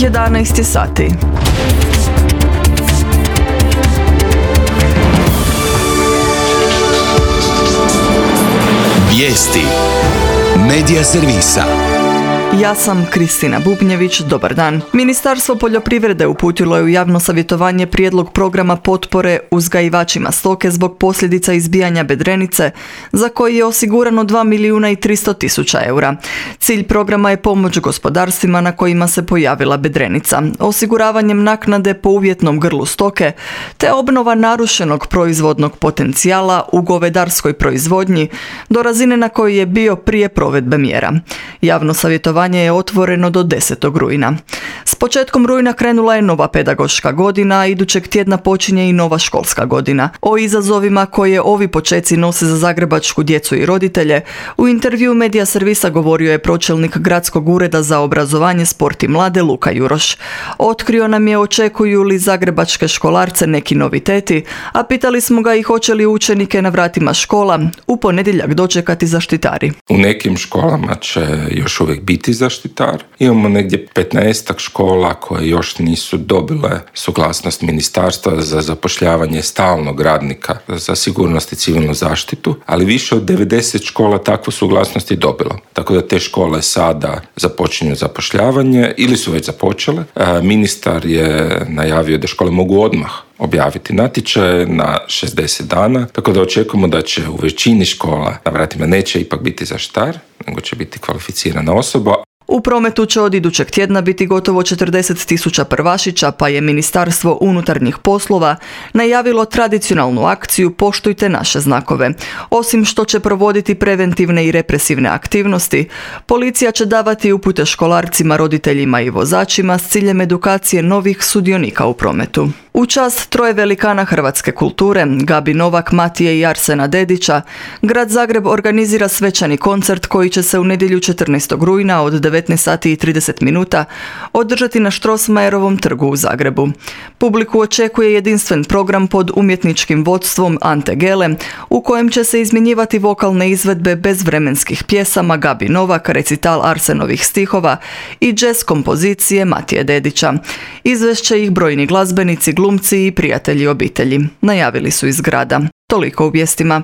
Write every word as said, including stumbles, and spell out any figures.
jedanaest je sati. Vijesti Medija servisa. Ja sam Kristina Bubnjević, dobar dan. Ministarstvo poljoprivrede uputilo je u javno savjetovanje prijedlog programa potpore uzgajivačima stoke zbog posljedica izbijanja bedrenice, za koji je osigurano dva milijuna i tristo tisuća eura. Cilj programa je pomoć gospodarstvima na kojima se pojavila bedrenica, osiguravanjem naknade po uvjetnom grlu stoke, te obnova narušenog proizvodnog potencijala u govedarskoj proizvodnji do razine na kojoj je bio prije provedbe mjera. Javno savjetovanje je otvoreno do desetog rujna. S početkom rujna krenula je nova pedagoška godina, a idućeg tjedna počinje i nova školska godina. O izazovima koje ovi počeci nose za zagrebačku djecu i roditelje, u intervju Medija servisa govorio je pročelnik Gradskog ureda za obrazovanje, sport i mlade Luka Juroš. Otkrio nam je očekuju li zagrebačke školarce neki noviteti, a pitali smo ga i hoće li učenike na vratima škola u ponedjeljak dočekati zaštitari. U nekim školama će još uvijek biti zaštitar. Imamo negdje petnaestak škola koje još nisu dobile suglasnost ministarstva za zapošljavanje stalnog radnika za sigurnost i civilnu zaštitu, ali više od devedeset škola takvu suglasnost je dobilo. Tako da te škole sada započinju zapošljavanje ili su već započele. Ministar je najavio da škole mogu odmah objaviti natječaje na šezdeset dana, tako da očekujemo da će u većini škola na vratima neće ipak biti zaštitar, nego će biti kvalificirana osoba. U prometu će od idućeg tjedna biti gotovo četrdeset tisuća prvašića, pa je Ministarstvo unutarnjih poslova najavilo tradicionalnu akciju Poštujte naše znakove. Osim što će provoditi preventivne i represivne aktivnosti, policija će davati upute školarcima, roditeljima i vozačima s ciljem edukacije novih sudionika u prometu. U čast troje velikana hrvatske kulture, Gabi Novak, Matije i Arsena Dedića, Grad Zagreb organizira svečani koncert koji će se u nedjelju četrnaestog rujna od devetnaest sati i trideset minuta održati na Strossmayerovom trgu u Zagrebu. Publiku očekuje jedinstven program pod umjetničkim vodstvom Ante Gele, u kojem će se izmjenjivati vokalne izvedbe bez vremenskih pjesama Gabi Novak, recital Arsenovih stihova i jazz kompozicije Matije Dedića. Izvešće ih brojni glazbenici, glumci i prijatelji obitelji. Najavili su iz grada. Toliko u vijestima.